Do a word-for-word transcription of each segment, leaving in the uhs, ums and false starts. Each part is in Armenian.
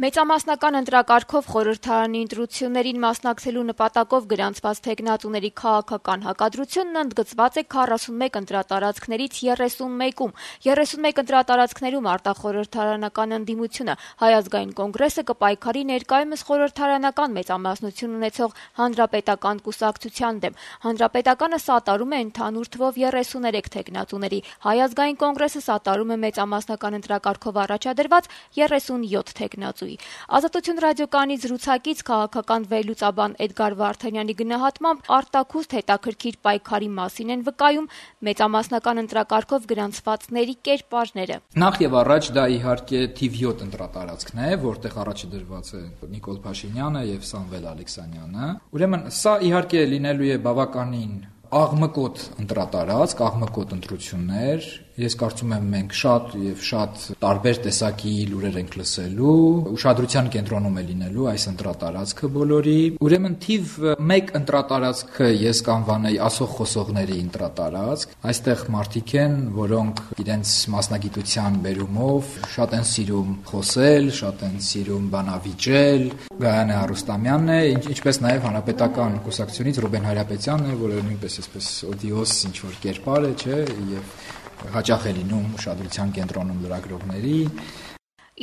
Մեծամասնական ընտրակարգով խորհրդարանի ընտրություններին մասնակցելու նպատակով գրանցված թեկնածուների քաղաքական հակադրությունն ընդգծված է քառասունմեկ ընտրատարածքներից երեսունմեկում։ երեսունմեկ ընտրատարածքներում արտախորհրդարանական ընդդիմությունը Հայ ազգային կոնգրեսը կպայքարի ներկայումս խորհրդարանական մեծամասնություն ունեցող Հանրապետական կուսակցության դեմ։ Հանրապետականը սատարում է ընդհանուր թվով երեսուներեք թեկնածուների, Հայ ազգային կոնգրեսը սատարում է մեծամասնական ընտրակարգով առաջադրված երեսունյոթ թեկնածուի։ Ազատություն ռադիոկայանի զրուցակից քաղաքական վերլուծաբան Էդգար Վարդանյանի գնահատմամբ արտաքուստ հետաքրքիր պայքարի մասին են վկայում մեծամասնական ընտրակարգով գրանցվածների կերպարները։ Նախ եւ առաջ դա իհարկե թիվ յոթ ընտրատարածքն է, որտեղ առաջ դրված է Նիկոլ Փաշինյանը եւ Սամվել Ալեքսանյանը։ Ուրեմն սա իհարկե լինելու է բավականին աղմկոտ ընտրատարածք, աղմկոտ ընտրություններ։ Ես կարծում եմ մենք շատ եւ շատ տարբեր տեսակի լուրեր ենք լսելու, ուշադրության կենտրոնում է լինելու այս ընտրատարածքը բոլորի։ Ուրեմն թիվ մեկ ընտրատարածքը ես կանվանեի ասող խոսողների ընտրատարածք։ Այստեղ մարդիկ են, որոնք իրենց մասնագիտության բերումով շատ են սիրում խոսել, շատ են սիրում բանավիճել։ Գայանե Արուստամյանն է, ինչպես նաեւ Հանրապետական կուսակցությունից Ռուբեն Հայրապետյանն է, որը նույնպես այսպես օդիոս ինչ որ կերպար է, չէ, եւ հաճախ է լինում ուշադրության կենտրոնում լրագրողների։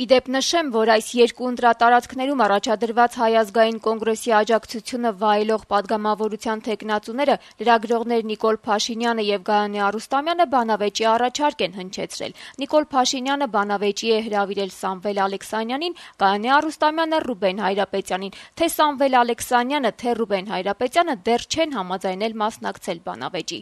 Իդեպ նշեմ, որ այս երկու ընտրատարածքներում առաջադրված Հայ ազգային կոնգրեսի աջակցությունը վայելող падգամավորության թեկնածուները լրագրողներ Նիկոլ Փաշինյանը եւ Գայանե Արուստամյանը բանավեճի առաջարկ են հնչեցրել։ Նիկոլ Փաշինյանը բանավեճի է հրավիրել Սամվել Ալեքսանյանին, Գայանե Արուստամյանը Ռուբեն Հայրապետյանին։ Թե Սամվել Ալեքսանյանը, թե Ռուբեն Հայրապետյանը դեռ չեն համաձայնել մասնակցել բանավեճի։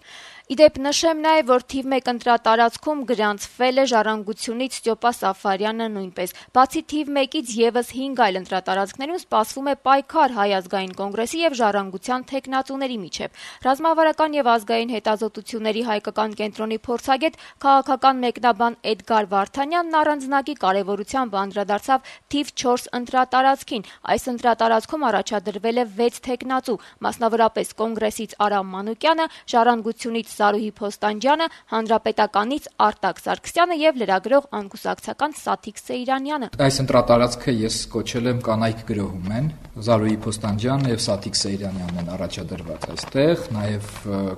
Իդեպ նշեմ նաեւ, որ թիվ մեկ ընտրատարածքում գրանցվել է Ժառանգությունից Ստյոպա Սաֆարյանը նույնպես։ Բացի թիվ մեկից եւս հինգ այլ ընտրատարածքներում սպասվում է պայքար Հայ ազգային կոնգրեսի եւ Ժառանգության թեկնածուների միջեւ։ Ռազմավարական եւ ազգային հետազոտությունների հայկական կենտրոնի փորձագետ քաղաքական մեկնաբան Էդգար Վարդանյանն առանձնակի կարեւորությամբ անդրադարձավ թիվ չորս ընտրատարածքին։ Այս ընտրատարածքում առաջադրվել է վեց թեկնածու, մասնավորապես կոնգրեսից Արամ Մանուկյանը, Ժառանգությունից Զարուհի Փոստանջյանը, Հանրապետականից Արտակ Սարգսյանը եւ լրագրող անկուսակցական Սաթիկ Սեյրանյանը։ Այս ընտրատարածքը ես կոչել եմ կանայք գրոհում են։ Զարուհի Փոստանջյանն եւ Սաթիկ Սեյրանյանն են առաջադրված այստեղ, նաեւ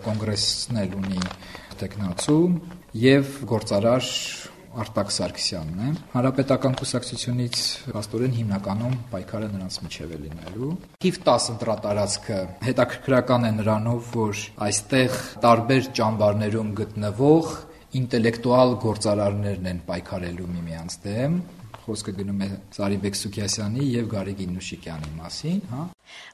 կոնգրեսն էլ ունի տեխնացու եւ գործարար Արտակ Սարգսյանն է։ Հանրապետական կուսակցությունից աստորեն հիմնականում պայքարը նրանց միջև է լինելու։ Թիվ տաս ընտրատարածքը հետաքրքրական է նրանով, որ այստեղ տարբեր ճամբարներում գտնվող ինտելեկտուալ գործարարներն են պայքարելու միմյանց դեմ։ Խոսքը գնում է Զարիբեկ Սուքիասյանի եւ Գարեգին Նուշիկյանի մասին, հա։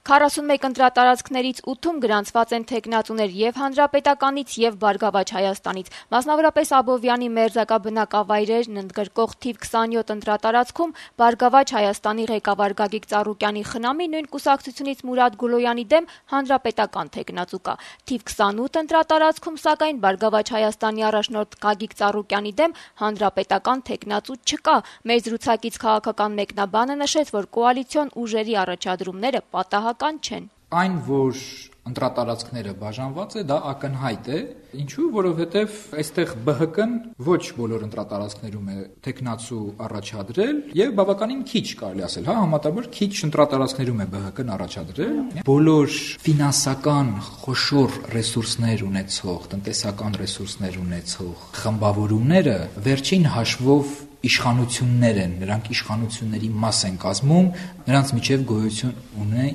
քառասունմեկ ընտրատարածքներից ութում գրանցված են թեկնածուներ եւ Հանրապետականից եւ Բարգավաճ Հայաստանից։ Մասնավորապես Աբովյանի մերձակաբնակավայրերն ընդգրկող թիվ քսանյոթ ընտրատարածքում Բարգավաճ Հայաստանի ղեկավար Գագիկ Ծառուկյանի խնամի նույն կուսակցությունից Մուրադ Գուլոյանի դեմ Հանրապետական թեկնածու կա։ Թիվ քսանութ ընտրատարածքում սակայն Բարգավաճ Հայաստանի առաջնորդ Գագիկ Ծառուկյանի դեմ Հանրապետական թեկնածու չկա։ Մեր զրուցակից քաղաքական մեկնաբանը նշեց, որ կոալիցիոն ուժերի առաջադրումները պատահական չեն։ Այն, որ ընտրատարածքները բաժանված է, դա ակնհայտ է, ինչու, որովհետև այստեղ B H K-ն ոչ բոլոր ընտրատարածքներում է տեխնացու առաջադրել եւ բավականին քիչ կարելի ասել, հա, համատաբար քիչ ընտրատարածքներում է B H K-ն առաջադրել։ Բոլոր ֆինանսական խոշոր ռեսուրսներ ունեցող, տնտեսական ռեսուրսներ ունեցող խմբավորումները վերջին հաշվով իշխանություններ են, նրանք իշխանությունների մաս են կազմում, նրանց միջև գոյություն ունի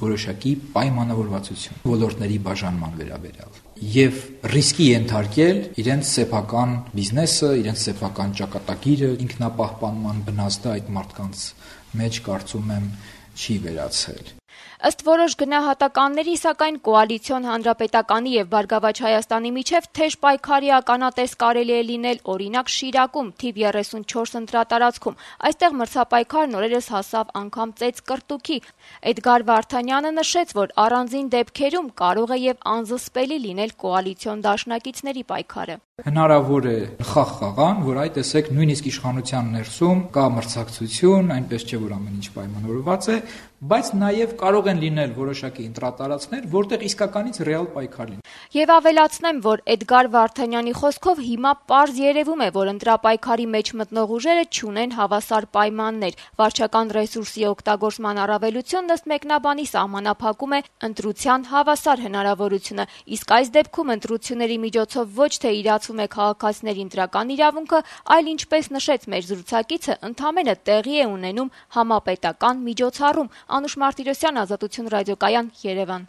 որոշակի պայմանավորվածություն ոլորտների բաժանման վերաբերյալ եւ ռիսկի ենթարկել իրենց սեփական բիզնեսը, իրենց սեփական ճակատագիրը, ինքնապահպանման բնազդը այդ մարդկանց մեջ կարծում եմ չի վերացել։ Ըստ որոշ գնահատականների, սակայն կոալիցիոն Հանրապետականի եւ Բարգավաճ Հայաստանի միջև թեժ պայքարի ականատես կարելի է լինել օրինակ Շիրակում թիվ երեսունչորս ընտրատարածքում։ Այստեղ մրցապայքարն օրերս հասավ անգամ ծեծ կրտուքի։ Էդգար Վարդանյանը նշեց, որ առանձին դեպքերում կարող է եւ անզսպելի լինել կոալիցիոն դաշնակիցների պայքարը։ Հնարավոր է խաղ խաղան, որ այ տեսեք նույնիսկ իշխանության ներսում կա մրցակցություն, այնպես չէ, որ ամեն ինչ պայմանավորված է, բայց նաև կարող են լինել որոշակի ընտրատարածքներ, որտեղ իսկականից ռեալ պայքար լինի։ Եվ ավելացնեմ, որ Էդգար Վարդանյանի խոսքով հիմա պարզ երևում է, որ ընտրապայքարի մեջ մտնող ուժերը չունեն հավասար պայմաններ։ Վարչական ռեսուրսի օգտագործման առավելությունն ըստ մեկնաբանի սահմանափակում է ընտրության հավասար հնարավորությունը, իսկ այս դեպքում ընտրությունների միջոցով ոչ թե իրացվում է քաղաքացիների ընտրական իրավունքը, այլ ինչպես նշեց մեր զրուցակիցը, ընդամենը տեղի է ունենում համապետական միջոցառում։ Անուշ Մարտիրոսյան, Ազատություն ռադիոկայան, Երևան։